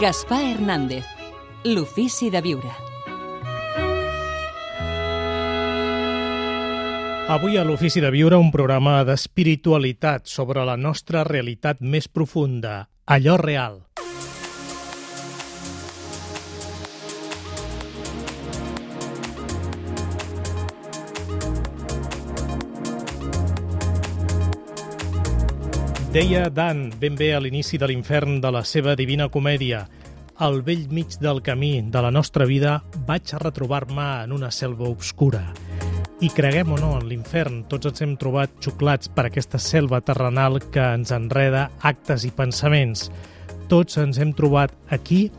Gaspar Hernández, l'ofici de viure. Avui a l'Ofici de Viure un programa d'espiritualitat sobre la nostra realitat més profunda, allò real. Deia Dan ben bé a l'inici de l'infern de la seva Divina Comèdia: al vell mig del camí de la nostra vida vaig retrobar-me en una selva obscura. I creguem o no, en l'infern tots ens hem trobat xuclats per aquesta selva terrenal que ens enreda actes i pensaments. Tots ens hem trobat aquí,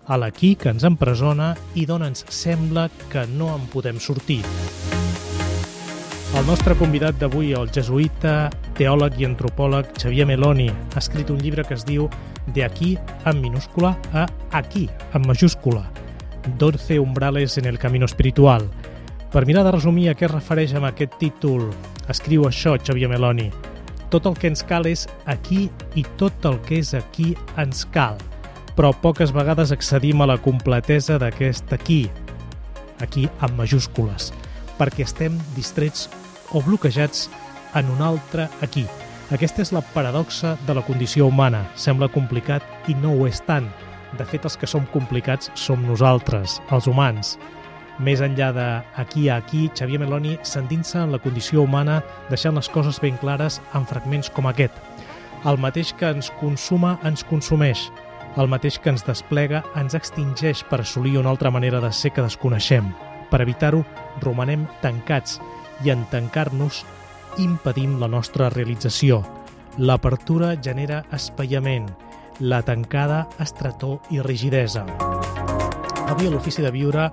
a l'aquí que ens empresona i d'on ens sembla que no en podem sortir. El nostre convidat d'avui, el jesuïta, teòleg i antropòleg Xavier Meloni, ha escrit un llibre que es diu De aquí, en minúscula, a aquí, en majúscula. 12 umbrales en el camino espiritual. Per mirar de resumir a què es refereix amb aquest títol, escriu això Xavier Meloni: tot el que ens cal és aquí i tot el que és aquí ens cal, però poques vegades accedim a la completesa d'aquest aquí amb majúscules, perquè estem distrets o bloquejats en un altre aquí. Aquesta és la paradoxa de la condició humana. Sembla complicat i no ho és tant. De fet, els que som complicats som nosaltres, els humans. Més enllà d'aquí a aquí, Xavier Meloni s'endinsa en la condició humana, deixant les coses ben clares en fragments com aquest. El mateix que ens consuma ens consumeix. El mateix que ens desplega ens extingeix per assolir una altra manera de ser que desconeixem. Per evitar-ho, romanem tancats i en tancar-nos impedim la nostra realització. L'apertura genera espaiament, la tancada estretor i rigidesa. Avui a l'Ofici de Viure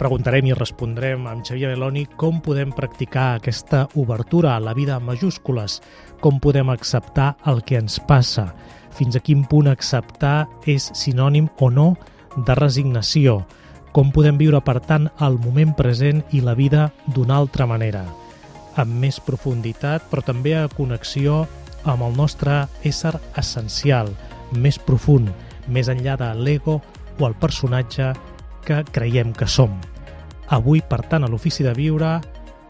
preguntarem i respondrem amb Xavier Meloni com podem practicar aquesta obertura a la vida en majúscules, com podem acceptar el que ens passa, fins a quin punt acceptar és sinònim o no de resignació, com podem viure, per tant, el moment present i la vida d'una altra manera, amb més profunditat, però també a connexió amb el nostre ésser essencial, més profund, més enllà de l'ego o el personatge que creiem que som. Avui, per tant, a l'Ofici de Viure,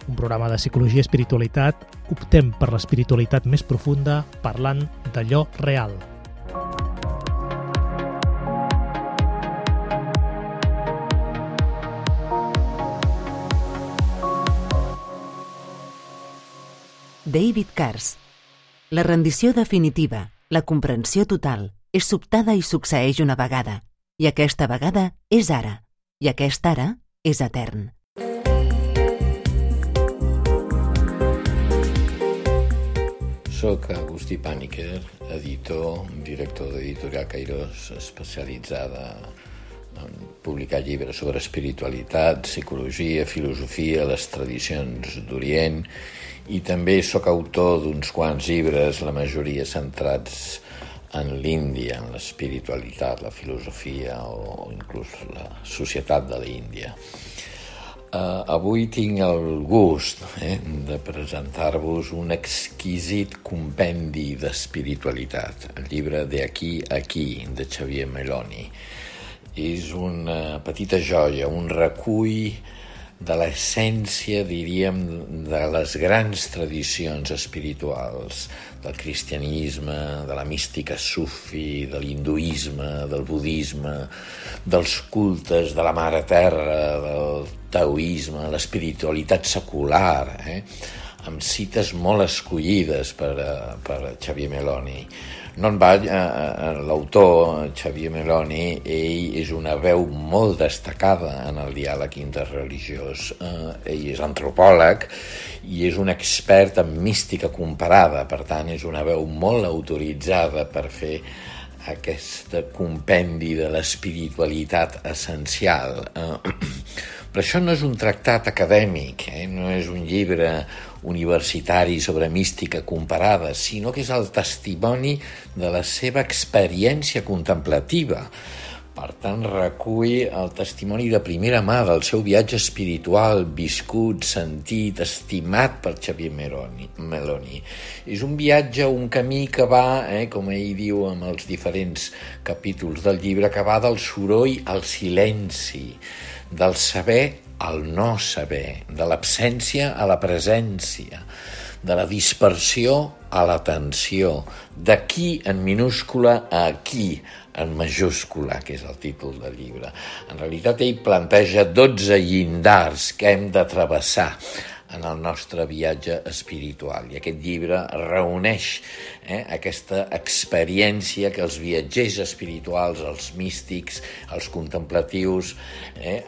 un programa de psicologia i espiritualitat, optem per l'espiritualitat més profunda parlant d'allò real. David Cars. La rendició definitiva, la comprensió total, és sobtada i succeeix una vegada, i aquesta vegada és ara, i aquest ara és etern. Soc Agustí Pàniker, editor, director d'Editorial Cairós, especialitzada en publicar llibres sobre espiritualitat, psicologia, filosofia, les tradicions d'Orient, i també sóc autor d'uns quants llibres, la majoria centrats en l'Índia, en l'espiritualitat, la filosofia o inclús la societat de l'Índia. Avui tinc el gust de presentar-vos un exquisit compendi d'espiritualitat, el llibre De aquí a aquí, de Xavier Meloni. És una petita joia, un recull de l'essència, diríem, de les grans tradicions espirituals, del cristianisme, de la mística sufi, de l'hinduisme, del budisme, dels cultes de la Mare Terra, del taoisme, l'espiritualitat secular, amb cites molt escollides per Xavier Meloni. No en va, l'autor Xavier Meloni, ell és una veu molt destacada en el diàleg interreligiós. Ell és antropòleg i és un expert en mística comparada, per tant és una veu molt autoritzada per fer aquest compendi de l'espiritualitat essencial. Però això no és un tractat acadèmic, no és un llibre universitari sobre mística comparada, sinó que és el testimoni de la seva experiència contemplativa. Per tant, recull el testimoni de primera mà del seu viatge espiritual, viscut, sentit, estimat per Xavier Meloni. És un viatge, un camí que va, com ell diu en els diferents capítols del llibre, que va del soroll al silenci, del saber al no saber, de l'absència a la presència, de la dispersió a l'atenció, d'aquí en minúscula a aquí en majúscula, que és el títol del llibre. En realitat, ell planteja 12 llindars que hem de travessar en el nostre viatge espiritual. I aquest llibre reuneix aquesta experiència que els viatgers espirituals, els místics, els contemplatius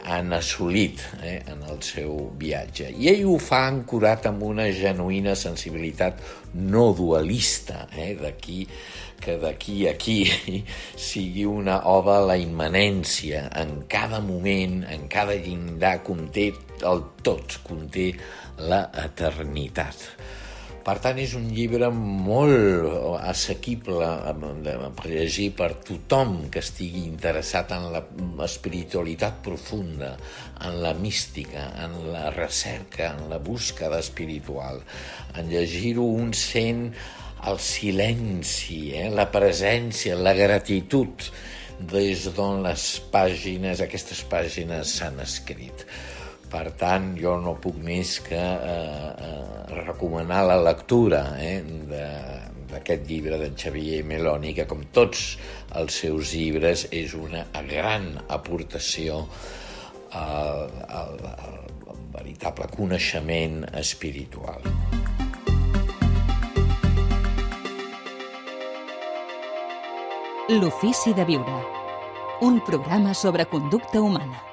han assolit en el seu viatge. I ell ho fa ancorat amb una genuïna sensibilitat no dualista, d'aquí que d'aquí a aquí sigui una oda a la immanència. En cada moment, en cada llindar conté el tot, conté la eternitat. Per tant, és un llibre molt assequible per llegir per tothom que estigui interessat en l'espiritualitat profunda, en la mística, en la recerca, en la búsqueda espiritual. En llegir-ho un sent el silenci, la presència, la gratitud des d'on aquestes pàgines s'han escrit. Per tant, jo no puc més que recomanar la lectura d'aquest llibre d'en Xavier Meloni, que com tots els seus llibres és una gran aportació al veritable coneixement espiritual. L'ofici de viure. Un programa sobre conducta humana.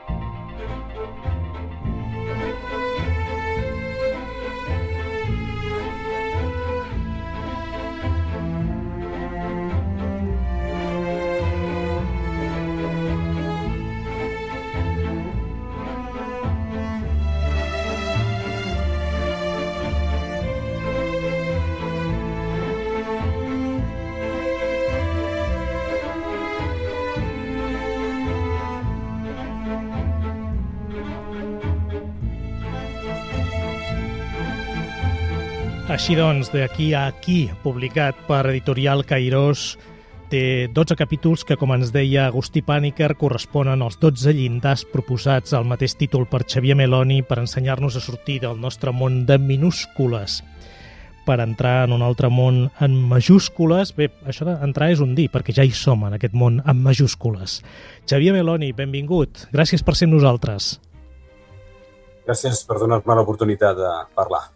Així doncs, d'Aquí a aquí, publicat per Editorial Cairós, té 12 capítols que, com ens deia Agustí Pàniker, corresponen als 12 llindars proposats al mateix títol per Xavier Meloni per ensenyar-nos a sortir del nostre món de minúscules per entrar en un altre món en majúscules. Bé, això d'entrar és un dir, perquè ja hi som en aquest món en majúscules. Xavier Meloni, benvingut. Gràcies per ser amb nosaltres. Gràcies per donar-me l'oportunitat de parlar.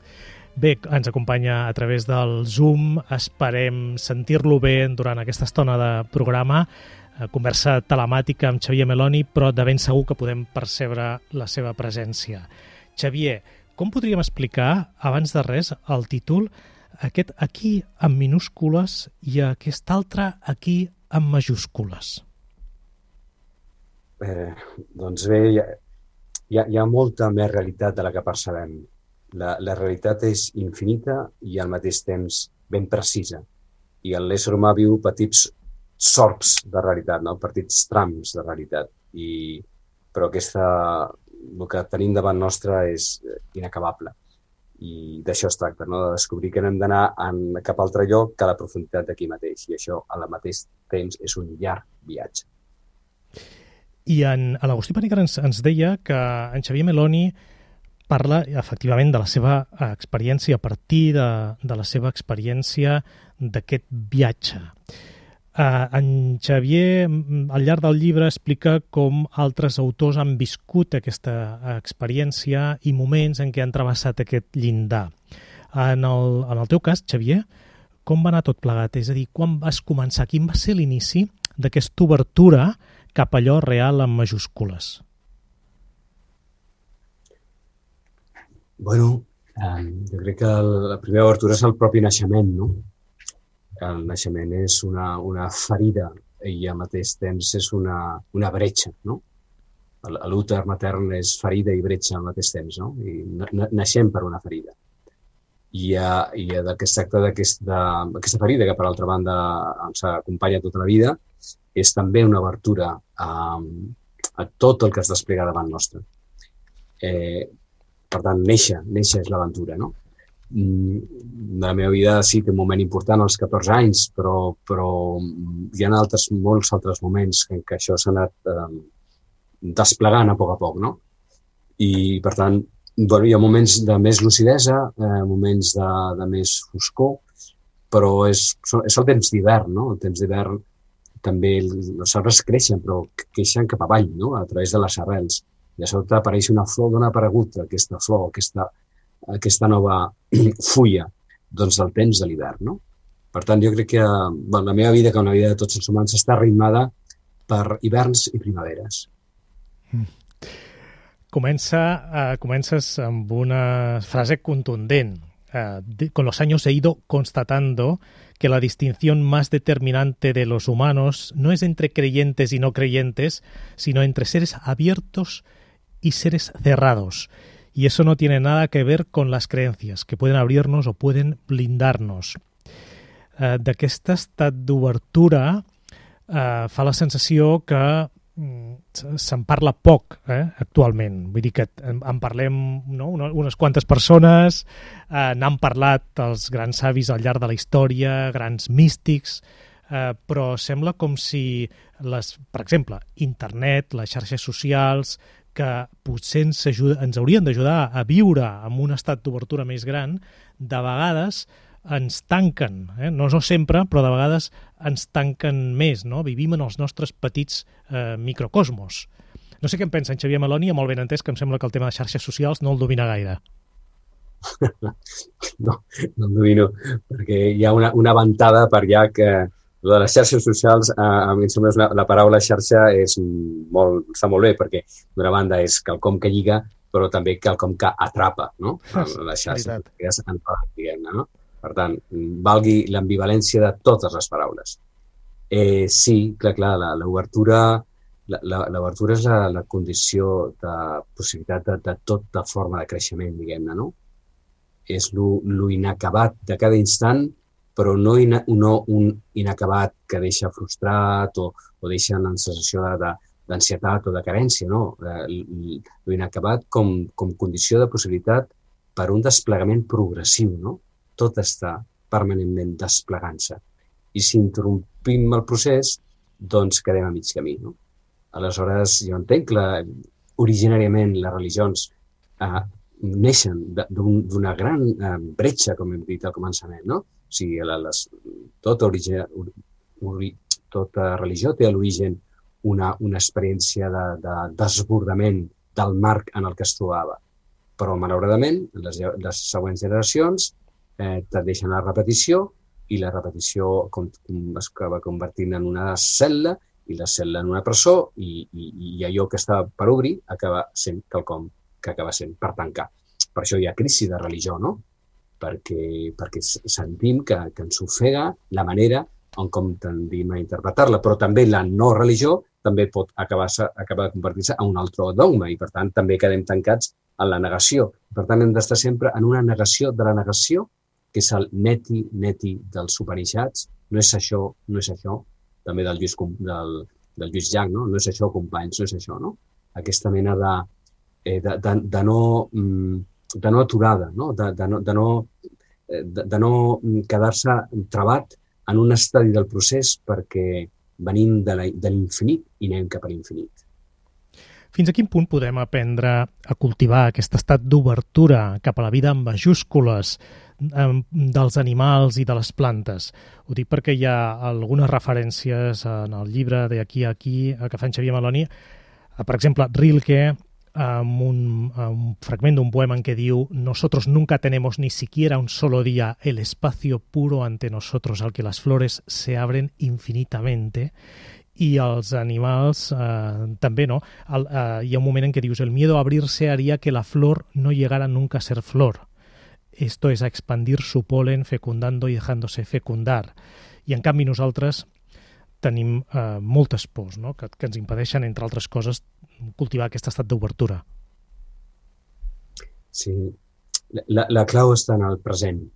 Bé, ens acompanya a través del Zoom. Esperem sentir-lo bé durant aquesta estona de programa. Conversa telemàtica amb Xavier Meloni, però de ben segur que podem percebre la seva presència. Xavier, com podríem explicar, abans de res, el títol, aquest aquí en minúscules i aquest altre aquí en majúscules? Doncs bé, hi ha molta més realitat de la que percebem. La realitat és infinita i al mateix temps ben precisa. I l'ésser humà viu petits sorbs de realitat, no? Petits trams de realitat. Però el que tenim davant nostre és inacabable. I d'això es tracta, no? De descobrir que no hem d'anar cap altre lloc que a la profunditat d'aquí mateix. I això, al mateix temps, és un llarg viatge. I l'Agustí Pàniker ens deia que en Xavier Meloni parla, efectivament, de la seva experiència, a partir de la seva experiència d'aquest viatge. En Xavier, al llarg del llibre, explica com altres autors han viscut aquesta experiència i moments en què han travessat aquest llindar. En el teu cas, Xavier, com va anar tot plegat? És a dir, quan vas començar? Quin va ser l'inici d'aquesta obertura cap a allò real en majúscules? Bueno, jo crec que la primera obertura és el propi naixement, no? El naixement és una ferida i al mateix temps és una bretxa, no? L'úter matern és ferida i bretxa al mateix temps, no? I naixem per una ferida. I del que es tracta d'aquesta ferida, que per altra banda ens acompanya tota la vida, és també una obertura a tot el que es desplega davant nostre. Per tant, néixer és l'aventura, no? De la meva vida sí que un moment important als 14 anys, però hi ha molts altres moments en què això s'ha anat desplegant a poc, no? I, per tant, hi ha moments de més lucidesa, moments de més foscor, però és el temps d'hivern, no? El temps d'hivern també els arbres creixen, però creixen cap avall, no? A través de les arrels. I a sota apareix una flor d'on ha aparegut aquesta flor, aquesta nova fulla, doncs del temps de l'hivern, no? Per tant, jo crec que la meva vida, com la vida de tots els humans, està ritmada per hiverns i primaveres. Comences amb una frase contundent. Con los años he ido constatando que la distinción más determinante de los humanos no es entre creyentes y no creyentes, sino entre seres abiertos y seres cerrados. Y eso no tiene nada que ver con las creencias, que pueden abrirnos o pueden blindarnos. D'aquest estat d'obertura fa la sensació que se'n parla poc actualment. Vull dir que en parlem, no? Unes quantes persones, n'han parlat els grans savis al llarg de la història, grans místics, però sembla com si, per exemple, internet, les xarxes socials, que potser ens haurien d'ajudar a viure en un estat d'obertura més gran, de vegades ens tanquen, no sempre, però de vegades ens tanquen més, no? Vivim en els nostres petits microcosmos. No sé què en pensa en Xavier Meloni, molt ben entès, que em sembla que el tema de xarxes socials no el domina gaire. No el domino, perquè hi ha una ventada per allà que de les xarxes socials, a mi em sembla la paraula xarxa està molt bé, perquè d'una banda és quelcom que lliga, però també quelcom que atrapa, no? Les xarxes socials, diguem-ne, no? Per tant, valgui l'ambivalència de totes les paraules. Sí, clar, l'obertura és la condició de possibilitat de tota forma de creixement, diguem-ne, no? És lo inacabat de cada instant, però no un inacabat que deixa frustrat o deixa en sensació d'ansietat o de carència, no? Lo inacabat com condició de possibilitat per un desplegament progressiu, no? Tot està permanentment desplegant-se. I si interrompim el procés, doncs quedem a mig camí, no? Aleshores, jo entenc que originàriament les religions neixen d'una gran bretxa, com hem dit al començament, no? O sigui, tota religió té a l'origen una experiència de desbordament del marc en el que es trobava. Però, malauradament, les següents generacions tendeixen a la repetició i la repetició es acaba convertint en una cel·la i la cel·la en una presó i allò que està per obrir acaba sent quelcom que acaba sent per tancar. Per això hi ha crisi de religió, no? Perquè sentim que ens ofega la manera en com tendim a interpretar-la, però també la no religió també pot acabar de convertir-se en un altre dogma i, per tant, també quedem tancats en la negació. Per tant, hem d'estar sempre en una negació de la negació, que és el neti dels Upanishads. No és això, també del Lluís Llach, no? No és això, companys, no és això, no? Aquesta mena de no aturada, no? De no quedar-se trabat en un estadi del procés perquè venim de l'infinit i anem cap a l'infinit. Fins a quin punt podem aprendre a cultivar aquest estat d'obertura cap a la vida en majúscules dels animals i de les plantes? Ho dic perquè hi ha algunes referències en el llibre de Aquí a aquí que fa en Xavier Meloni. Per exemple, Rilke, amb un fragment d'un poema en què diu: «Nosotros nunca tenemos ni siquiera un solo día el espacio puro ante nosotros al que las flores se abren infinitamente». I els animals també, no? Hi ha un moment en què dius: «El miedo a abrirse haría que la flor no llegara nunca a ser flor. Esto es a expandir su polen fecundando y dejándose fecundar». I en canvi nosaltres tenim moltes pors, no? que ens impedeixen, entre altres coses, cultivar aquest estat d'obertura. Sí, la clau està en el present.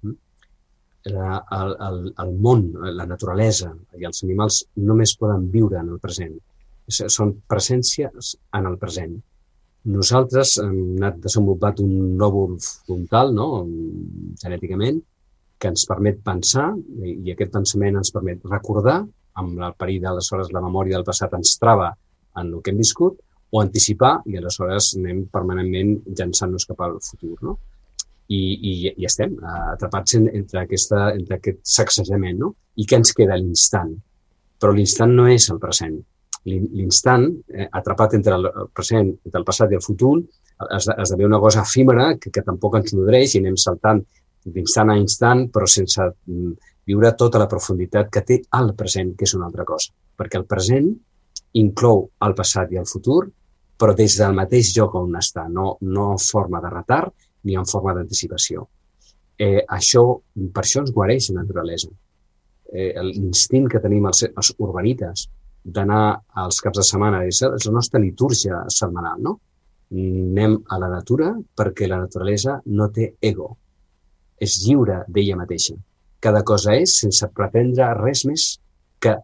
el món, la naturalesa i els animals només poden viure en el present. Són presències en el present. Nosaltres hem anat desenvolupat un lòbul frontal, no? Genèticament, que ens permet pensar, i aquest pensament ens permet recordar, amb el perill d'aleshores la memòria del passat ens trava en el que hem viscut, o anticipar, i aleshores anem permanentment llançant-nos cap al futur, no? I estem atrapats entre aquest sacsejament, no? I què ens queda? L'instant. Però l'instant no és el present. L'instant, atrapat entre el present, entre el passat i el futur, esdevé una cosa efímera que tampoc ens nodreix i anem saltant d'instant a instant, però sense viure tota la profunditat que té el present, que és una altra cosa. Perquè el present inclou el passat i el futur, però des del mateix lloc on està, no en forma de retard ni en forma d'anticipació. Per això ens guareix la naturalesa. L'instint que tenim els urbanites d'anar als caps de setmana és la nostra litúrgia setmanal, no? Anem a la natura perquè la naturalesa no té ego. És lliure d'ella mateixa. Cada cosa és sense pretendre res més que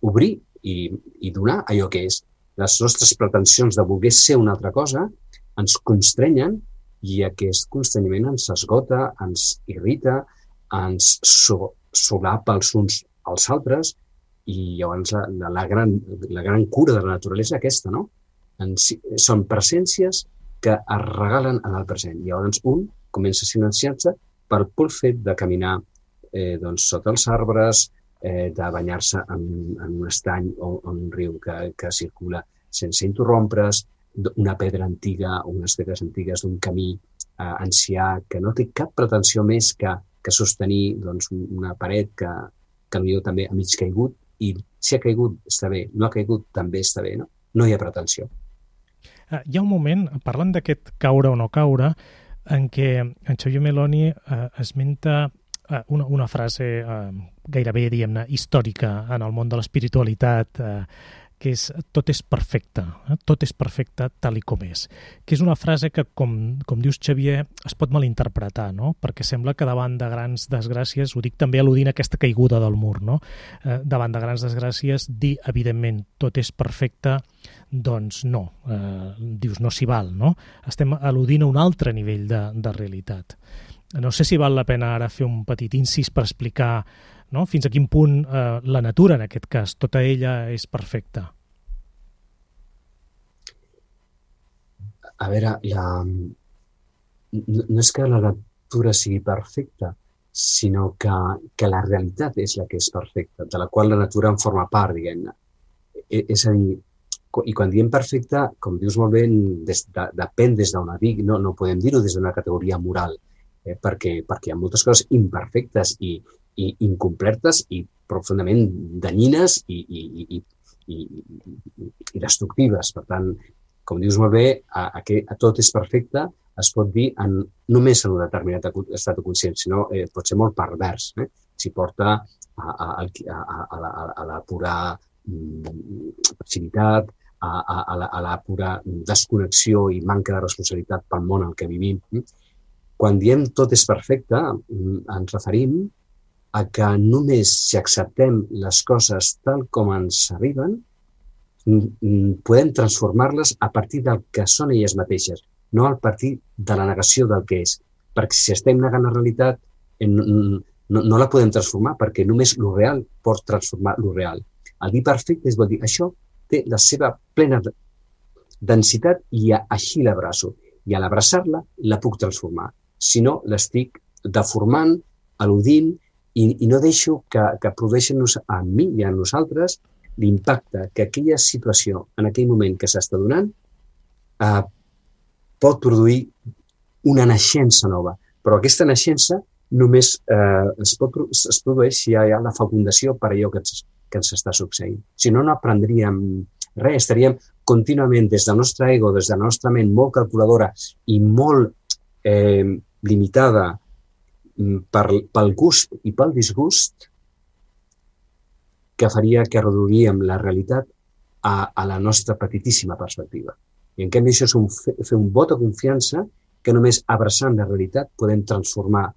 obrir i donar allò que és. Les nostres pretensions de voler ser una altra cosa ens constrenyen i aquest constrenyiment ens esgota, ens irrita, ens solapa els uns als altres i llavors la gran cura de la naturalesa és aquesta, no? Són presències que es regalen en el present. I llavors un comença a silenciar-se pel pur fet de caminar sota els arbres, de banyar-se en un estany o un riu que circula sense interrompre's, una pedra antiga o unes pedres antigues d'un camí ancià que no té cap pretensió més que sostenir una paret que potser també ha mig caigut i si ha caigut està bé, no ha caigut també està bé, no? No hi ha pretensió. Hi ha un moment, parlant d'aquest caure o no caure, en què en Xavier Meloni esmenta una frase gairebé, diguem-ne, històrica en el món de l'espiritualitat, que és tot és perfecte tal i com és. Que és una frase que, com dius, Xavier, es pot malinterpretar, no? Perquè sembla que davant de grans desgràcies, ho dic també al·ludint a aquesta caiguda del mur, no? Davant de grans desgràcies, dir, evidentment, tot és perfecte, doncs no. Dius, no s'hi val, no? Estem al·ludint a un altre nivell de realitat. No sé si val la pena ara fer un petit incís per explicar, no? Fins a quin punt la natura, en aquest cas, tota ella és perfecta. A veure, no és que la natura sigui perfecta, sinó que la realitat és la que és perfecta, de la qual la natura en forma part, diguem-ne. És a dir, i quan diem perfecta, com dius molt bé, depèn des d'on dic, no podem dir-ho des d'una categoria moral, perquè hi ha moltes coses imperfectes i incompletes i profundament danyines i destructives. Per tant, com dius molt bé, a tot és perfecte es pot dir només en un determinat estat de consciència, sinó pot ser molt pervers. S'hi porta a la pura passivitat, a la pura desconnexió i manca de responsabilitat pel món en què vivim. Quan diem tot és perfecte, ens referim a que només si acceptem les coses tal com ens arriben, podem transformar-les a partir del que són elles mateixes, no a partir de la negació del que és. Perquè si estem negant la realitat, no la podem transformar, perquè només lo real pot transformar lo real. El dir perfecte vol dir això té la seva plena densitat i així l'abraço. I a l'abraçar-la la puc transformar. Si no, l'estic deformant, al·ludint i no deixo que produeixin a mi i a nosaltres l'impacte que aquella situació en aquell moment que s'està donant pot produir una naixença nova. Però aquesta naixença només es produeix si hi ha la fecundació per allò que ens està succeint. Si no, no aprendríem res, estaríem contínuament des del nostre ego, des de la nostra ment molt calculadora i molt limitada pel gust i pel disgust, que faria que reduiríem la realitat a la nostra petitíssima perspectiva. I en canvi això és fer un vot de confiança que només abraçant la realitat podem transformar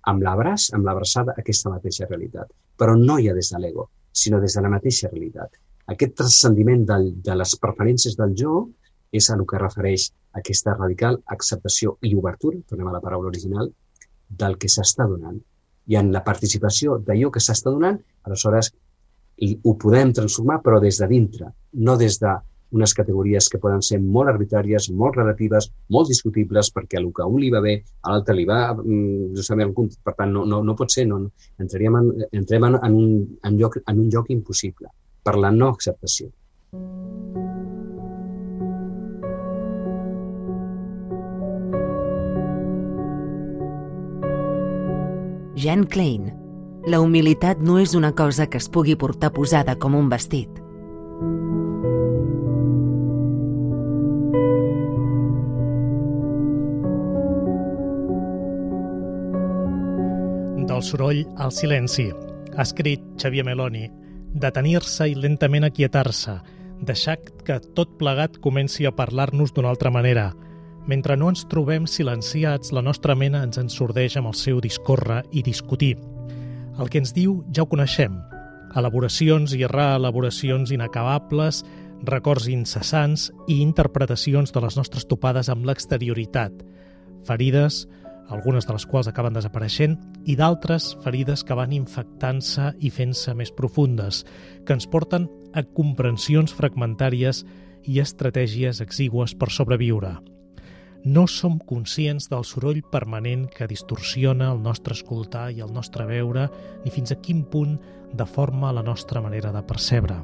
amb l'abraç, amb l'abraçada, aquesta mateixa realitat. Però no ja des de l'ego, sinó des de la mateixa realitat. Aquest transcendiment de les preferències del jo és a el que refereix aquesta radical acceptació i obertura, tornem a la paraula original, del que s'està donant. I en la participació d'allò que s'està donant, aleshores ho podem transformar, però des de dintre, no des d'unes categories que poden ser molt arbitràries, molt relatives, molt discutibles, perquè el que a un li va bé, a l'altre li va justament, per tant, no pot ser, entrem en un lloc impossible, per la no acceptació. Jean Klein. La humilitat no és una cosa que es pugui portar posada com un vestit. Del soroll al silenci. Ha escrit Xavier Meloni. Detenir-se i lentament aquietar-se. Deixar que tot plegat comenci a parlar-nos d'una altra manera. Mentre no ens trobem silenciats, la nostra ment ens ensordeix amb el seu discórrer i discutir. El que ens diu ja ho coneixem. Elaboracions i reelaboracions inacabables, records incessants i interpretacions de les nostres topades amb l'exterioritat. Ferides, algunes de les quals acaben desapareixent, i d'altres ferides que van infectant-se i fent-se més profundes, que ens porten a comprensions fragmentàries i estratègies exigües per sobreviure. No som conscients del soroll permanent que distorsiona el nostre escoltar i el nostre veure, ni fins a quin punt deforma la nostra manera de percebre.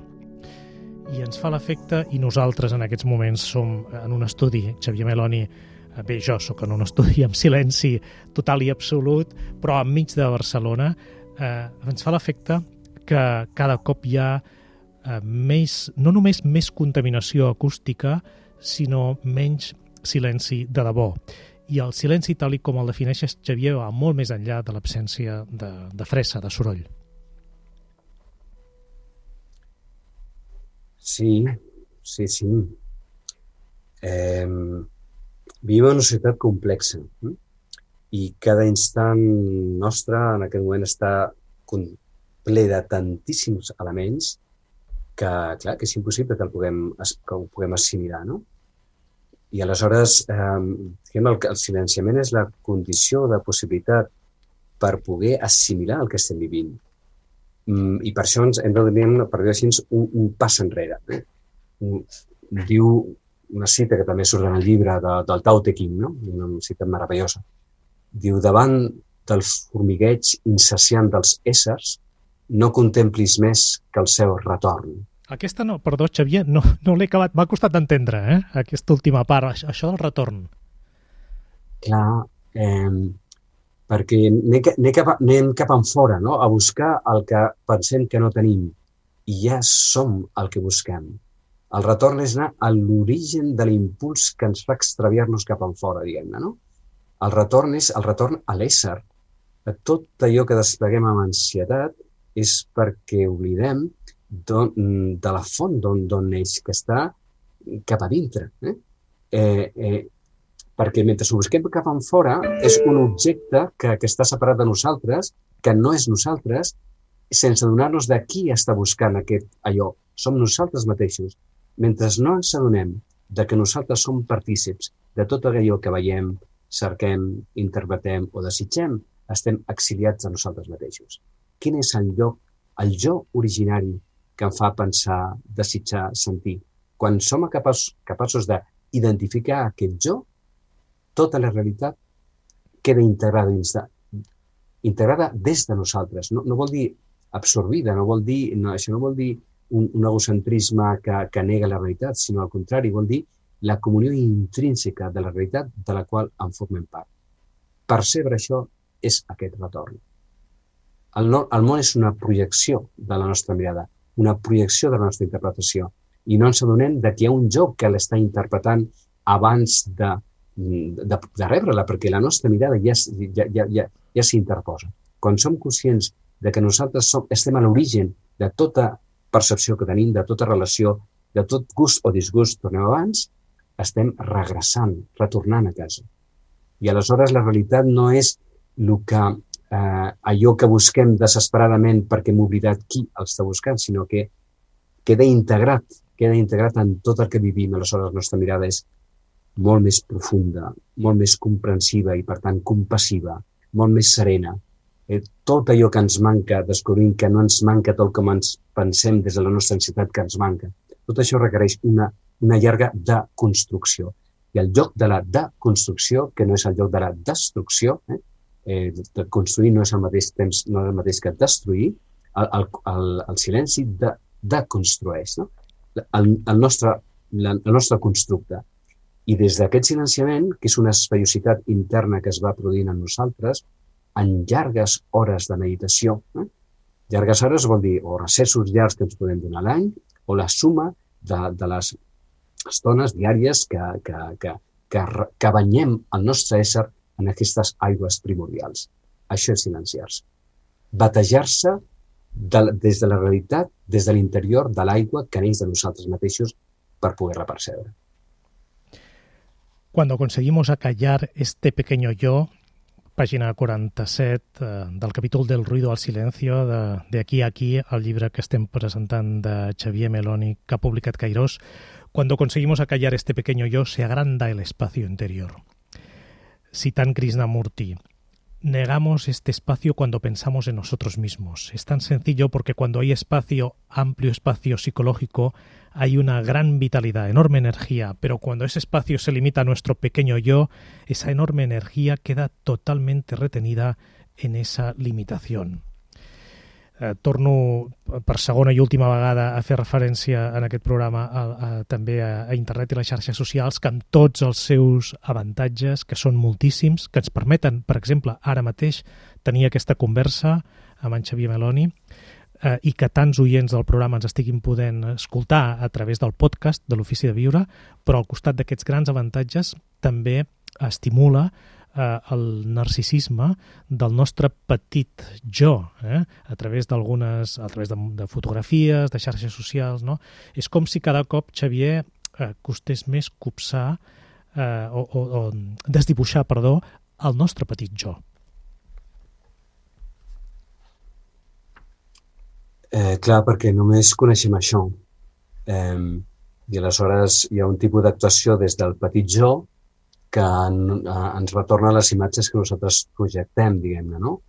I ens fa l'efecte, i nosaltres en aquests moments som en un estudi, Xavier Meloni, bé, jo sóc en un estudi amb silenci total i absolut, però enmig de Barcelona, ens fa l'efecte que cada cop hi ha no només més contaminació acústica, sinó menys silenci de debò. I el silenci, tal com el defineixes, Xavier, va molt més enllà de l'absència de fressa, de soroll. Sí. Vivim en una societat complexa i cada instant nostre en aquest moment està ple de tantíssims elements que, clar, que és impossible que ho puguem assimilar, no? I aleshores, el silenciament és la condició de possibilitat per poder assimilar el que estem vivint. I per això hem de donar, per dir-ho així, un pas enrere. Diu una cita que també surt en el llibre del Tao Te Ching, no? Una cita meravellosa. Diu, davant del formigueig insaciant dels éssers, no contemplis més que el seu retorn. Aquesta no, perdó, Xavier, no l'he acabat, m'ha costat d'entendre, aquesta última part, això del retorn. Clar, perquè anem cap enfora, no? A buscar el que pensem que no tenim, i ja som el que busquem. El retorn és anar a l'origen de l'impuls que ens fa extraviar-nos cap enfora, diguem-ne, no? El retorn és el retorn a l'ésser. Tot allò que despleguem amb ansietat és perquè oblidem de la font d'on neix, que està cap a dintre. Perquè mentre ho busquem cap enfora és un objecte que està separat de nosaltres, que no és nosaltres, sense adonar-nos de qui està buscant allò. Som nosaltres mateixos. Mentre no ens adonem de que nosaltres som partícips de tot allò que veiem, cerquem, interpretem o desitgem, estem exiliats de nosaltres mateixos. Quin és el jo originari que em fa pensar, desitjar, sentir? Quan som capaços d'identificar aquest jo, tota la realitat queda integrada des de nosaltres. No vol dir absorbida, això no vol dir un egocentrisme que nega la realitat, sinó al contrari, vol dir la comunió intrínseca de la realitat de la qual en formem part. Percebre això és aquest retorn. El món és una projecció de la nostra mirada, una projecció de la nostra interpretació, i no ens adonem que hi ha un jo que l'està interpretant abans de rebre-la, perquè la nostra mirada ja s'interposa. Quan som conscients de que nosaltres estem a l'origen de tota percepció que tenim, de tota relació, de tot gust o disgust, tornem abans, estem regressant, retornant a casa. I aleshores la realitat no és el que allò que busquem desesperadament perquè hem oblidat qui el està buscant, sinó que queda integrat en tot el que vivim. Aleshores, la nostra mirada és molt més profunda, molt més comprensiva i, per tant, compassiva, molt més serena. Tot allò que ens manca, descobrim que no ens manca tot com ens pensem des de la nostra ansietat que ens manca. Tot això requereix una llarga deconstrucció. I el lloc de la deconstrucció, que no és el lloc de la destrucció, de construir no és al mateix temps, no és el mateix que destruir, el silenci deconstrueix, no? el nostre constructe. I des d'aquest silenciament, que és una espaiositat interna que es va produint en nosaltres, en llargues hores de meditació, llargues hores vol dir o recessos llargs que ens podem donar a l'any, o la suma de les estones diàries que banyem el nostre ésser en aquestes aigües primordials. Això és silenciar-se. Batejar-se des de la realitat, des de l'interior de l'aigua que neix de nosaltres mateixos per poder-la percebre. Cuando conseguimos acallar este pequeño yo, pàgina 47 del capítol del ruido al silencio, de aquí a aquí, el llibre que estem presentant de Xavier Meloni, que ha publicat Cairós. Cuando conseguimos acallar este pequeño yo, se agranda el espacio interior. Citant Krishnamurti, negamos este espacio cuando pensamos en nosotros mismos. Es tan sencillo porque cuando hay espacio, amplio espacio psicológico, hay una gran vitalidad, enorme energía, pero cuando ese espacio se limita a nuestro pequeño yo, esa enorme energía queda totalmente retenida en esa limitación. Torno per segona i última vegada a fer referència en aquest programa també a internet i les xarxes socials, que amb tots els seus avantatges, que són moltíssims, que ens permeten, per exemple, ara mateix tenir aquesta conversa amb en Xavier Meloni, i que tants oients del programa ens estiguin podent escoltar a través del podcast de l'Ofici de Viure, però al costat d'aquests grans avantatges també estimula el narcisisme del nostre petit jo, a través de fotografies, de xarxes socials, no? És com si cada cop, Xavier, costés més copsar o desdibuixar, el nostre petit jo. Clar, perquè només coneixem això. I aleshores hi ha un tipus d'actuació des del petit jo que ens retorna les imatges que nosaltres projectem, diguem-ne, no?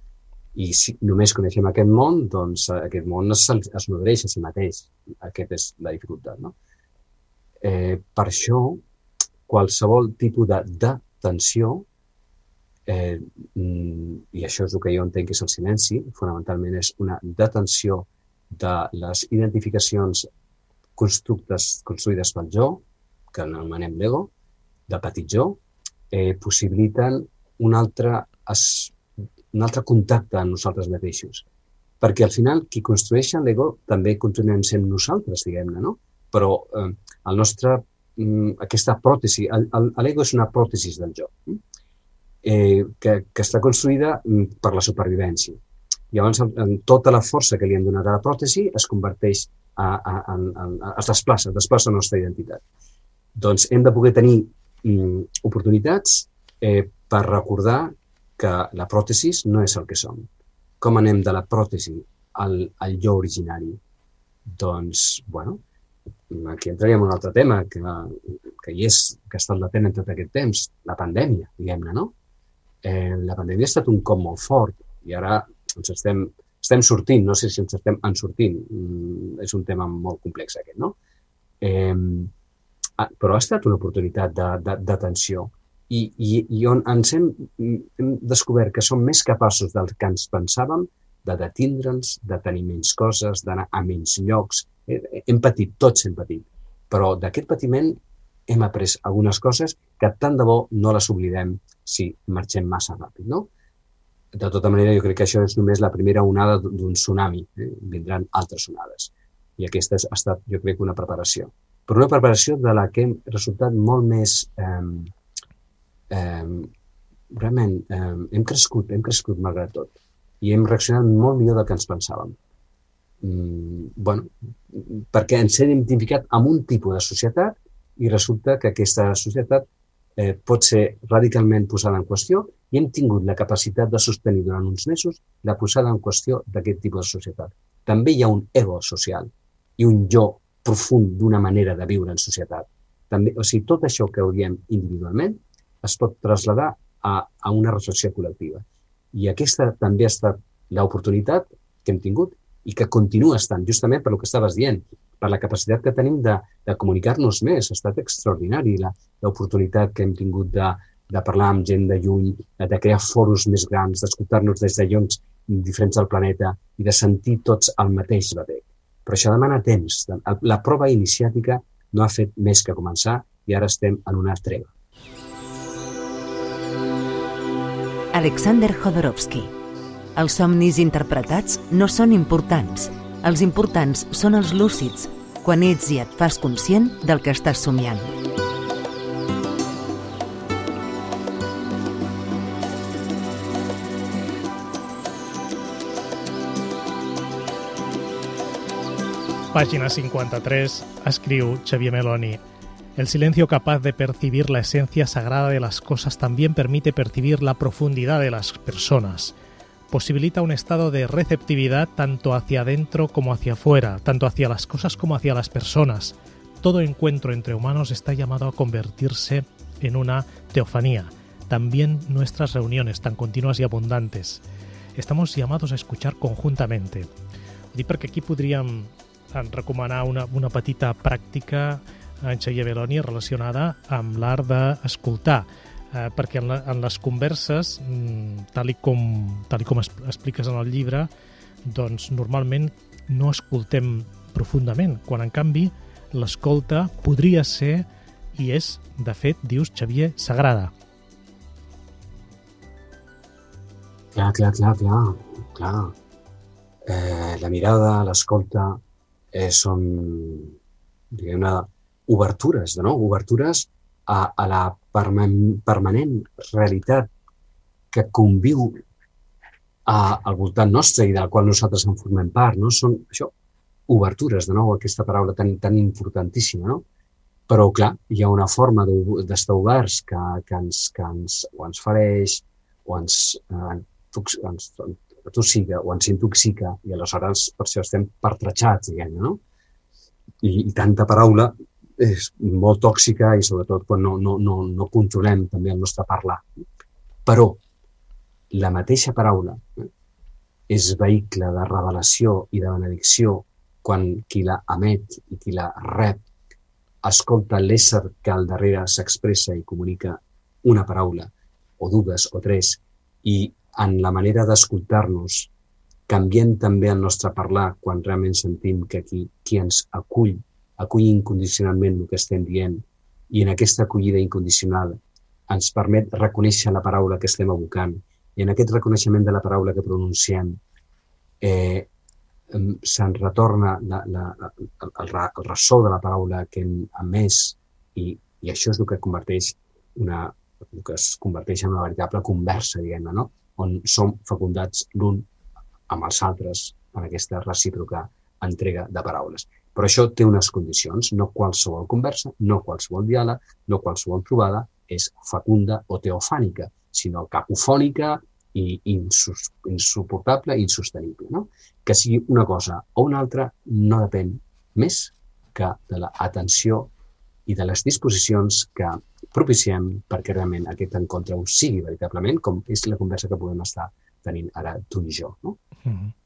I si només coneixem aquest món, doncs aquest món es nodreix a si mateix. Aquesta és la dificultat, no? Per això, qualsevol tipus de tensió, i això és el que jo entenc que és el silenci, fonamentalment és una detenció de les identificacions construïdes pel jo, que anomenem l'ego, de petit jo, possibiliten un altre contacte amb nosaltres mateixos. Perquè al final, qui construeix l'ego també continuem sent nosaltres, diguem-ne, no? Però aquesta pròtesi, l'ego és una pròtesi del jo, que està construïda per la supervivència. Llavors, tota la força que li hem donat a la pròtesi es converteix, es desplaça la nostra identitat. Doncs hem de poder tenir oportunitats per recordar que la pròtesi no és el que som. Com anem de la pròtesi al jo originari? Doncs, bueno, aquí entraríem en un altre tema que hi és, que ha estat latent en tot aquest temps, la pandèmia, diguem-ne, no? La pandèmia ha estat un cop molt fort i ara ens estem sortint, no sé si ens estem ensortint, és un tema molt complex aquest, no? Però ha estat una oportunitat d'atenció i on ens hem descobert que som més capaços del que ens pensàvem de detindre'ns, de tenir menys coses, d'anar a menys llocs. Hem patit, tots hem patit, però d'aquest patiment hem après algunes coses que tant de bo no les oblidem si marxem massa ràpid, no? De tota manera, jo crec que això és només la primera onada d'un tsunami. Vindran altres onades. I aquesta ha estat, jo crec, una preparació. Però una preparació de la que hem resultat molt més... realment, hem crescut malgrat tot. I hem reaccionat molt millor del que ens pensàvem. Perquè ens hem identificat amb un tipus de societat i resulta que aquesta societat pot ser radicalment posada en qüestió i hem tingut la capacitat de sostenir durant uns mesos la posada en qüestió d'aquest tipus de societat. També hi ha un ego social i un jo profund d'una manera de viure en societat. També, o sigui, tot això que odiem individualment es pot traslladar a una reflexió col·lectiva. I aquesta també ha estat l'oportunitat que hem tingut i que continua estant, justament per el que estaves dient, per la capacitat que tenim de comunicar-nos més. Ha estat extraordinari l'oportunitat que hem tingut de parlar amb gent de lluny, de crear foros més grans, d'escoltar-nos des de llocs diferents del planeta i de sentir tots el mateix batec. Però això demana temps. La prova iniciàtica no ha fet més que començar i ara estem en una treva. Alexander Jodorowsky. Els somnis interpretats no són importants. Els importants són els lúcids, quan ets i et fas conscient del que estàs somiant. Pàgina 53, escriu Xavier Meloni. El silencio capaz de percibir la esencia sagrada de las cosas también permite percibir la profundidad de las personas. Posibilita un estado de receptividad tanto hacia adentro como hacia afuera, tanto hacia las cosas como hacia las personas. Todo encuentro entre humanos está llamado a convertirse en una teofanía. También nuestras reuniones tan continuas y abundantes. Estamos llamados a escuchar conjuntamente. Ho dic perquè aquí podríem recomanar una petita pràctica en Xavier Meloni relacionada amb l'art d'escoltar, perquè en les converses, tal i com expliques en el llibre, doncs normalment no escoltem profundament, quan en canvi l'escolta podria ser, i és, de fet, dius, Xavier, sagrada. Clar. La mirada, l'escolta, són, diguem-ne, obertures, no? Obertures a la permanent realitat que conviu al voltant nostre i de la qual nosaltres en formem part, no? Són, això, obertures, de nou, aquesta paraula tan importantíssima, no? Però, clar, hi ha una forma d'estar oberts que ens fareix o ens atossiga o ens intoxica i aleshores per això estem pertratxats, diguem-ne, no? I tanta paraula és molt tòxica i sobretot quan no controlem també el nostre parlar. Però la mateixa paraula és vehicle de revelació i de benedicció quan qui la emet i qui la rep escolta l'ésser que al darrere s'expressa i comunica una paraula o dues o tres i en la manera d'escoltar-nos canviem també el nostre parlar quan realment sentim que qui ens acull incondicionalment el que estem dient i en aquesta acollida incondicional ens permet reconèixer la paraula que estem evocant i en aquest reconeixement de la paraula que pronunciem se'n retorna el ressò de la paraula que hem emès i això és el que es converteix en una veritable conversa, diguem-ne, no? On som fecundats l'un amb els altres en aquesta recíproca entrega de paraules. Però això té unes condicions, no qualsevol conversa, no qualsevol diàleg, no qualsevol trobada és fecunda o teofànica, sinó cacofònica i insuportable i insostenible, no? Que sigui una cosa o una altra no depèn més que de l'atenció i de les disposicions que propiciem perquè realment aquest encontre ho sigui veritablement, com és la conversa que podem estar tenint ara tu i jo, no?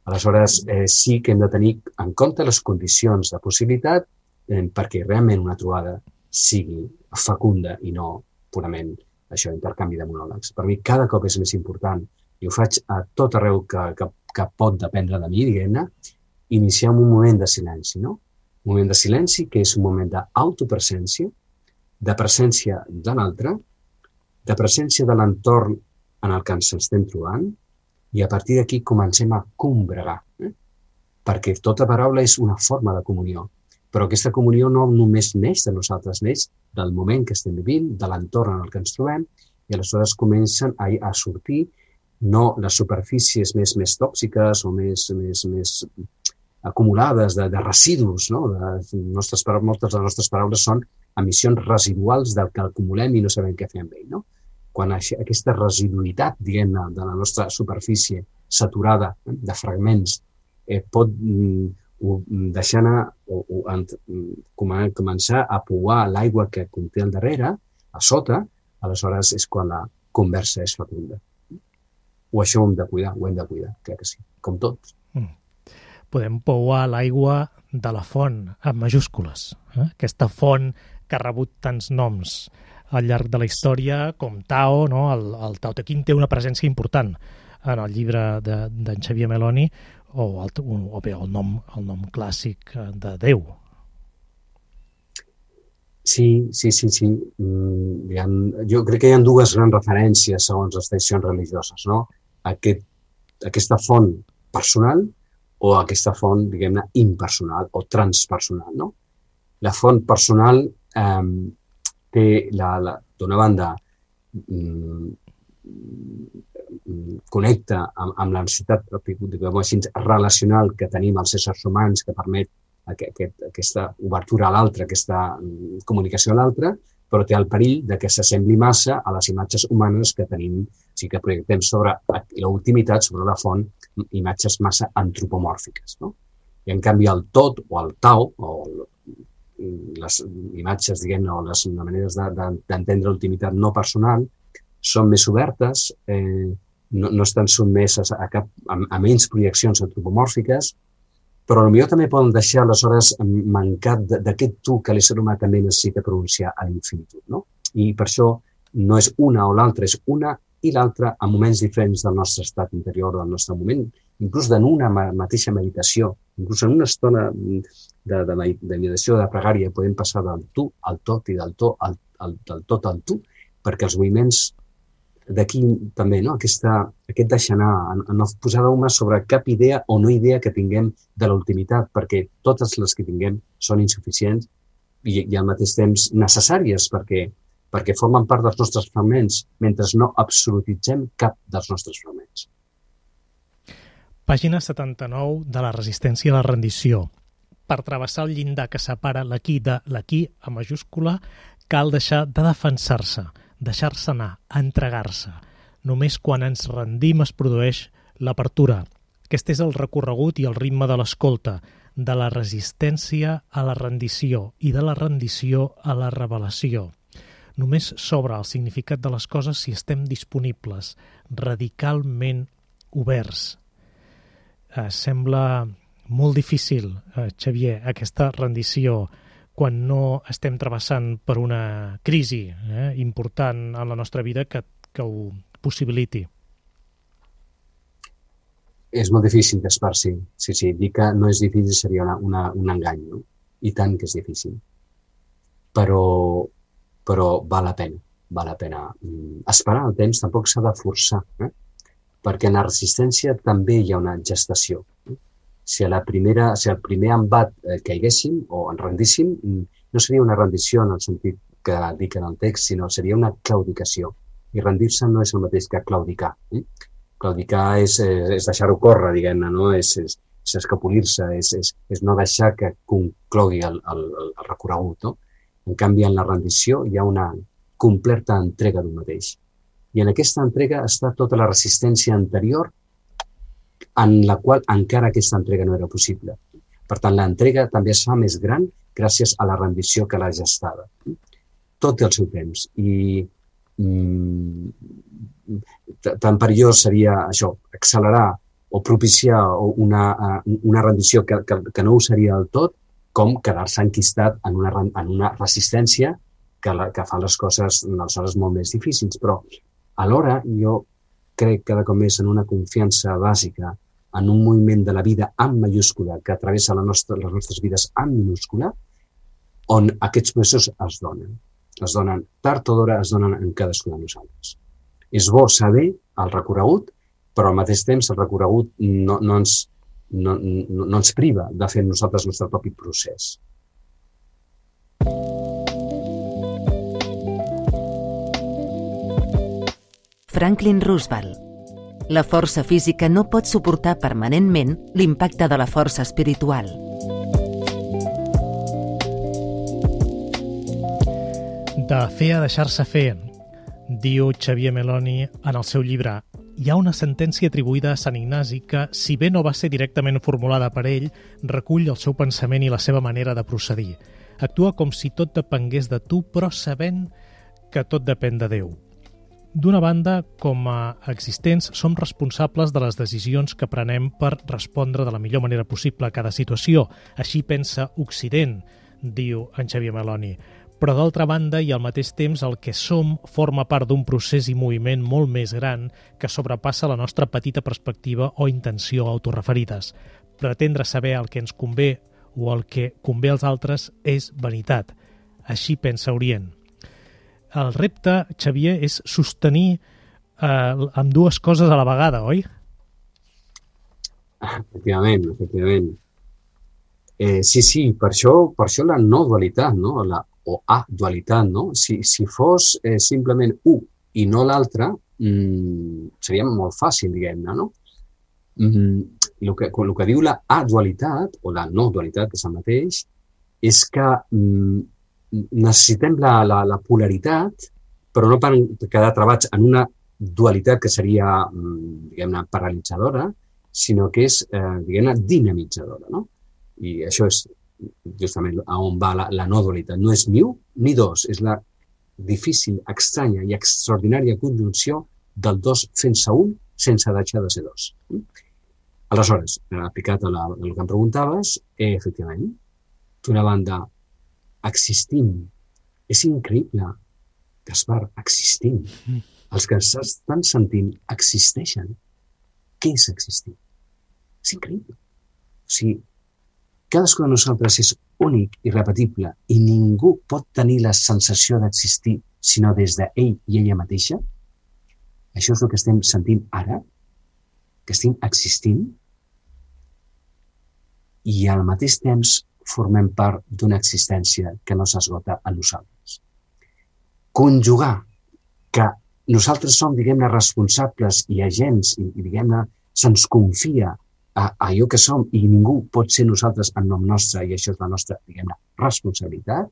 Aleshores, sí que hem de tenir en compte les condicions de possibilitat perquè realment una trobada sigui fecunda i no purament això, intercanvi de monòlegs. Per mi cada cop és més important, i ho faig a tot arreu que pot dependre de mi, diguem-ne, iniciar un moment de silenci, no? Un moment de silenci que és un moment d'autopresència, de presència de l'altre, de presència de l'entorn en el que ens estem trobant, i a partir d'aquí comencem a combregar, perquè tota paraula és una forma de comunió, però aquesta comunió no només neix de nosaltres, neix del moment que estem vivint, de l'entorn en el que ens trobem, i aleshores comencen a sortir no les superfícies més tòxiques o més acumulades de residus, no? Moltes de les nostres paraules són emissions residuals del que acumulem i no sabem què fer amb ell, no? Quan aquesta residuïtat, diguem-ne, de la nostra superfície saturada de fragments pot deixar anar o començar a pouar l'aigua que conté al darrere, a sota, aleshores és quan la conversa és fecunda. O això ho hem de cuidar, crec que sí, com tots. Podem pouar l'aigua de la font, amb majúscules. Aquesta font que ha rebut tants noms al llarg de la història, com Tao, no? El Tao Te Ching té una presència important en el llibre d'en Xavier Meloni, o bé el nom clàssic de Déu. Sí. Jo crec que hi ha dues grans referències segons les tradicions religioses, no? Aquesta font personal o aquesta font, diguem-ne, impersonal o transpersonal, no? La font personal té, d'una banda, connecta amb la necessitat relacional que tenim els éssers humans, que permet aquesta obertura a l'altre, aquesta comunicació a l'altre, però té el perill de que s'assembli massa a les imatges humanes que tenim, o sigui que projectem sobre la ultimitat, sobre la font, imatges massa antropomòrfiques, no? I en canvi el tot o el Tao, o les imatges, diguem-ne, o les maneres d'entendre l'ultimitat no personal, són més obertes, no estan sotmeses a menys projeccions antropomòrfiques, però potser també poden deixar, aleshores, mancat d'aquest tu que l'ésser humà també necessita pronunciar a l'infinitud, no? I per això no és una o l'altra, és una i l'altra en moments diferents del nostre estat interior, del nostre moment, inclús en una mateixa meditació, inclús en una estona de meditació, de pregària, podem passar del tu al tot i del tot al tu, perquè els moviments d'aquí també, no? Aquest deixar anar, no posar d'home sobre cap idea o no idea que tinguem de la ultimitat, perquè totes les que tinguem són insuficients i al mateix temps necessàries, perquè formen part dels nostres fragments, mentre no absolutitzem cap dels nostres fragments. Pàgina 79 de la resistència a la rendició. Per travessar el llindar que separa l'aquí de l'aquí, a majúscula, cal deixar de defensar-se, deixar-se anar, entregar-se. Només quan ens rendim es produeix l'apertura. Aquest és el recorregut i el ritme de l'escolta, de la resistència a la rendició i de la rendició a la revelació. Només s'obre el significat de les coses si estem disponibles, radicalment oberts. Sembla molt difícil, Xavier, aquesta rendició quan no estem travessant per una crisi important en la nostra vida que ho possibiliti. És molt difícil d'esper-s'hi. Sí, dir que no és difícil seria un engany, no? I tant que és difícil. Però val la pena. Esperar el temps tampoc s'ha de forçar, perquè en la resistència també hi ha una gestació. Si el primer embat caiguéssim o ens rendíssim, no seria una rendició en el sentit que dic en el text, sinó seria una claudicació. I rendir-se no és el mateix que claudicar. Claudicar és deixar-ho córrer, diguem-ne, no? És escapolir-se, és no deixar que conclogui el recorregut, no? En canvi, en la rendició hi ha una completa entrega d'un mateix. I en aquesta entrega està tota la resistència anterior en la qual encara aquesta entrega no era possible. Per tant, l'entrega també es fa més gran gràcies a la rendició que l'ha gestada. Tot té el seu temps. I tan perillós seria això, accelerar o propiciar una rendició que no ho seria del tot, com quedar-se enquistat en una resistència que fa les coses aleshores molt més difícils. Però alhora jo crec cada cop més en una confiança bàsica, en un moviment de la vida amb majúscula que travessa les nostres vides amb minúscula, on aquests processos es donen. Es donen tard o d'hora, es donen en cadascú de nosaltres. És bo saber el recorregut, però al mateix temps el recorregut no ens priva de fer nosaltres el nostre propi procés. Franklin Roosevelt. La força física no pot suportar permanentment l'impacte de la força espiritual. De fer a deixar-se fer, diu Xavier Meloni en el seu llibre. Hi ha una sentència atribuïda a Sant Ignasi que, si bé no va ser directament formulada per ell, recull el seu pensament i la seva manera de procedir. Actua com si tot depengués de tu, però sabent que tot depèn de Déu. D'una banda, com a existents, som responsables de les decisions que prenem per respondre de la millor manera possible a cada situació. Així pensa Occident, diu en Xavier Meloni. Però d'altra banda i al mateix temps el que som forma part d'un procés i moviment molt més gran que sobrepassa la nostra petita perspectiva o intenció autoreferides. Pretendre saber el que ens convé o el que convé als altres és vanitat. Així pensa Orient. El repte, Xavier, és sostenir amb dues coses a la vegada, oi? Efectivament. Sí, per això la no dualitat, no? O a-dualitat, no? Si fos simplement un i no l'altre, seria molt fàcil, diguem-ne, no? El que diu la a-dualitat, o la no-dualitat, que és el mateix, és que necessitem la polaritat, però no per quedar travats en una dualitat que seria, diguem-ne, paralitzadora, sinó que és, diguem-ne, dinamitzadora, no? I això és justament a on va la no-dualitat. No és ni un ni dos, és la difícil, estranya i extraordinària conjunció del dos fent-se un sense deixar de ser dos. Aleshores, aplicat a el que em preguntaves, efectivament, d'una banda, existim. És increïble, Gaspar, existim. Els que s'estan sentint existeixen. Què és existir? És increïble. O sigui, cadascú de nosaltres és únic i repetible i ningú pot tenir la sensació d'existir sinó des d'ell i ella mateixa. Això és el que estem sentint ara, que estem existint, i al mateix temps formem part d'una existència que no s'esgota a nosaltres. Conjugar que nosaltres som, diguem-ne, responsables i agents i diguem-ne, se'ns confia a allò que som i ningú pot ser nosaltres en nom nostre i això és la nostra, diguem-ne, responsabilitat,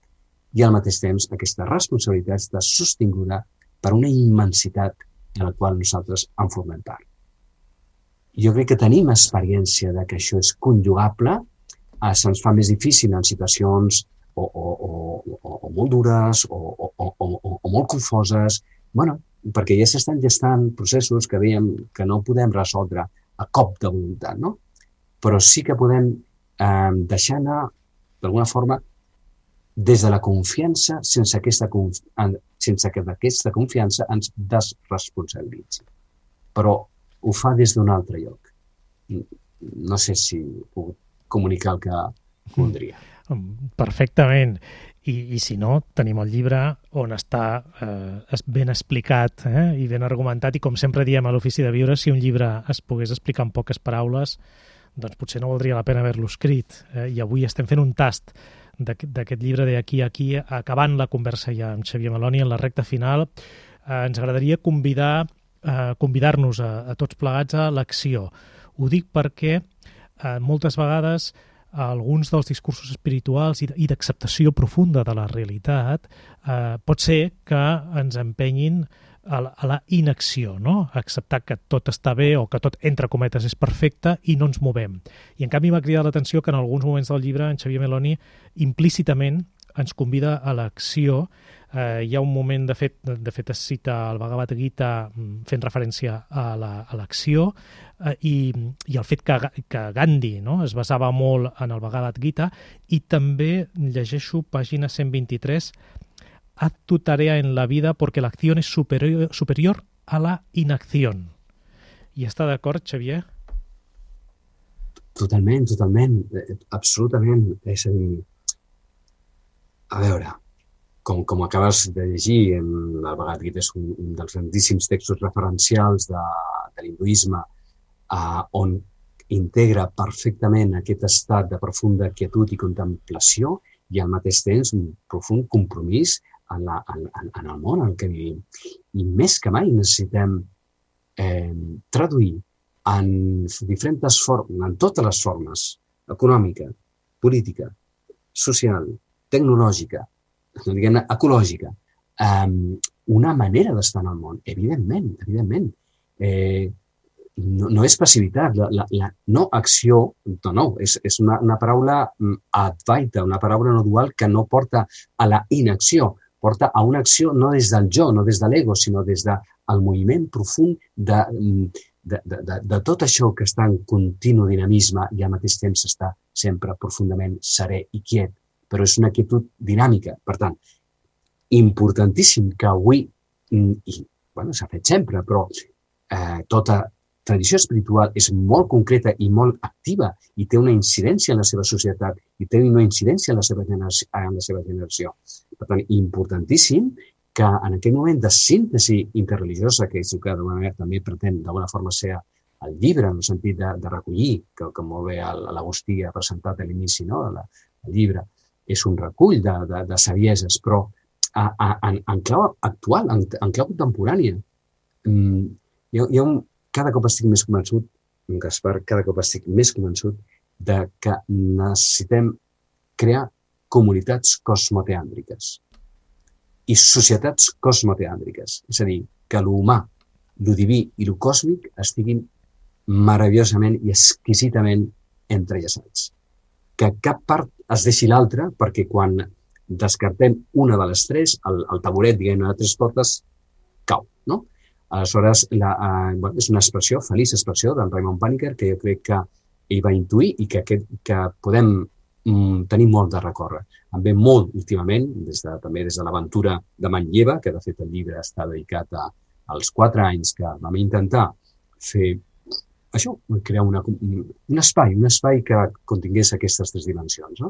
i al mateix temps aquesta responsabilitat està sostinguda per una immensitat de la qual nosaltres en formem part. Jo crec que tenim experiència de que això és conjugable, se'ns fa més difícil en situacions o molt dures o molt confoses, perquè ja s'estan gestant processos que veiem que no podem resoldre a cop de voluntat, no? Però sí que podem deixar anar, d'alguna forma, des de la confiança, sense que d'aquesta confiança ens desresponsabilitzi. Però ho fa des d'un altre lloc. No sé si puc comunicar el que voldria. Perfectament. I si no, tenim el llibre on està ben explicat i ben argumentat, i com sempre diem a l'Ofici de Viure, si un llibre es pogués explicar en poques paraules, doncs potser no valdria la pena haver-lo escrit. I avui estem fent un tast d'aquest llibre de Aquí a aquí, acabant la conversa ja amb Xavier Meloni en la recta final. Ens agradaria convidar-nos a tots plegats a l'acció. Ho dic perquè moltes vegades alguns dels discursos espirituals i d'acceptació profunda de la realitat pot ser que ens empenyin a la inacció, no? A acceptar que tot està bé o que tot, entre cometes, és perfecte i no ens movem. I en canvi m'ha cridat l'atenció que en alguns moments del llibre en Xavier Meloni implícitament ens convida a l'acció. Hi ha un moment, de fet es cita el Bhagavad Gita fent referència a l'acció i el fet que Gandhi, no, es basava molt en el Bhagavad Gita, i també llegeixo pàgina 123: haz tu tarea en la vida porque la acción es superior a la inacción. I està d'acord, Xavier? Totalment, absolutament. És a dir, a veure, com acabes de llegir, el Bhagavad Gita és un dels grandíssims textos referencials de l'hinduisme, on integra perfectament aquest estat de profunda quietud i contemplació i al mateix temps un profund compromís en el món en què vivim. I més que mai necessitem traduir en diferents formes, en totes les formes, econòmica, política, social, tecnològica, diguem-ne, ecològica, una manera d'estar en el món. Evidentment. No és passivitat, la no acció, és una paraula advaita, una paraula no dual que no porta a la inacció, porta a una acció no des del jo, no des de l'ego, sinó des del moviment profund de tot això que està en continu dinamisme i al mateix temps està sempre profundament serè i quiet, però és una quietud dinàmica. Per tant, importantíssim que avui, i s'ha fet sempre, però tota tradició espiritual és molt concreta i molt activa i té una incidència en la seva societat i té una incidència en la seva generació. Per tant, importantíssim que en aquest moment de síntesi interreligiosa, que és el que d'alguna manera també pretén d'alguna forma ser el llibre, en el sentit de recollir, que molt bé l'Agustí ha presentat a l'inici, el llibre és un recull de sabieses, però en clau actual, en clau contemporània. Cada cop estic més convençut, Gaspar, de que necessitem crear comunitats cosmoteàndriques i societats cosmoteàndriques. És a dir, que l'humà, lo diví i lo còsmic estiguin meravellosament i exquisitament entrellaçats. Que cap part es deixi l'altra, perquè quan descartem una de les tres, el taburet, diguem-ne, de tres potes, cau, no? Aleshores, és una expressió, feliç expressió d'en Raymond Panikkar, que jo crec que ell va intuir i que podem tenir molt de recórrer. Em ve molt últimament, també des de l'aventura de Manlleva, que de fet el llibre està dedicat als 4 anys que vam intentar fer això, crear un espai que contingués aquestes 3 dimensions.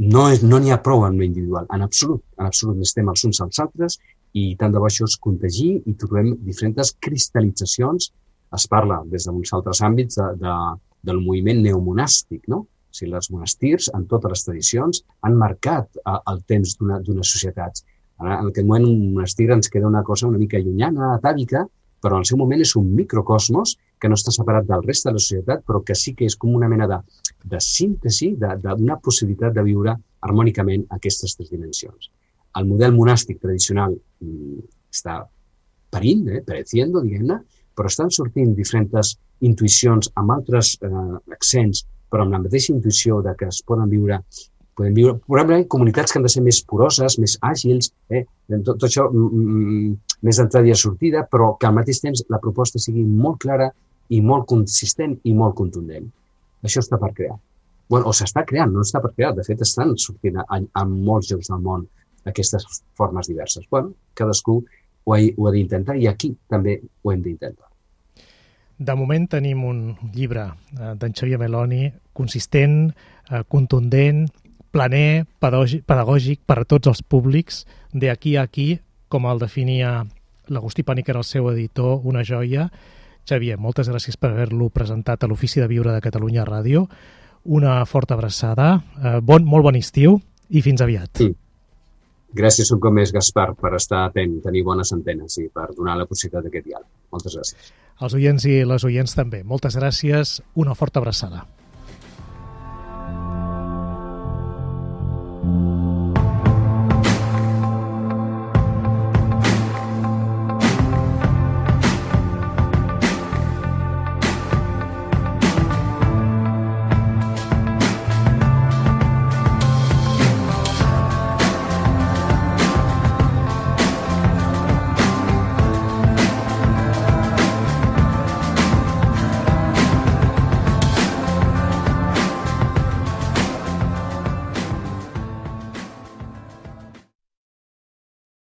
No n'hi ha prou en l'individual, en absolut n'estem els uns als altres i tant de bo això es contagi i trobem diferents cristal·litzacions. Es parla des d'uns altres àmbits del moviment neomonàstic, no? O sigui, els monestirs, en totes les tradicions, han marcat el temps d'unes societats. En aquest moment, un monestir ens queda una cosa una mica llunyana, atàvica, però en el seu moment és un microcosmos que no està separat del reste de la societat, però que sí que és com una mena de síntesi, d'una possibilitat de viure harmònicament aquestes 3 dimensions. El model monàstic tradicional està parint, pereciendo, diguem-ne, però estan sortint diferents intuïcions amb altres accents, però amb la mateixa intuïció de que es poden viure probablement comunitats que han de ser més poroses, més àgils, tot això més d'entrada i sortida, però que al mateix temps la proposta sigui molt clara i molt consistent i molt contundent. Això està per crear. O s'està creant, no està per crear. De fet, estan sortint a molts llocs del món aquestes formes diverses. Cadascú ho ha d'intentar i aquí també ho hem d'intentar. De moment tenim un llibre d'en Xavier Meloni consistent, contundent, planer, pedagògic per a tots els públics, d'aquí a aquí, com el definia l'Agustí Panikkar, el seu editor, una joia. Xavier, moltes gràcies per haver-lo presentat a l'Ofici de Viure de Catalunya Ràdio. Una forta abraçada, molt bon estiu i fins aviat. Gràcies un cop més, Gaspar, per estar atent, tenir bones antenes i per donar la possibilitat d'aquest diàleg. Moltes gràcies. Els oients i les oients també. Moltes gràcies, una forta abraçada.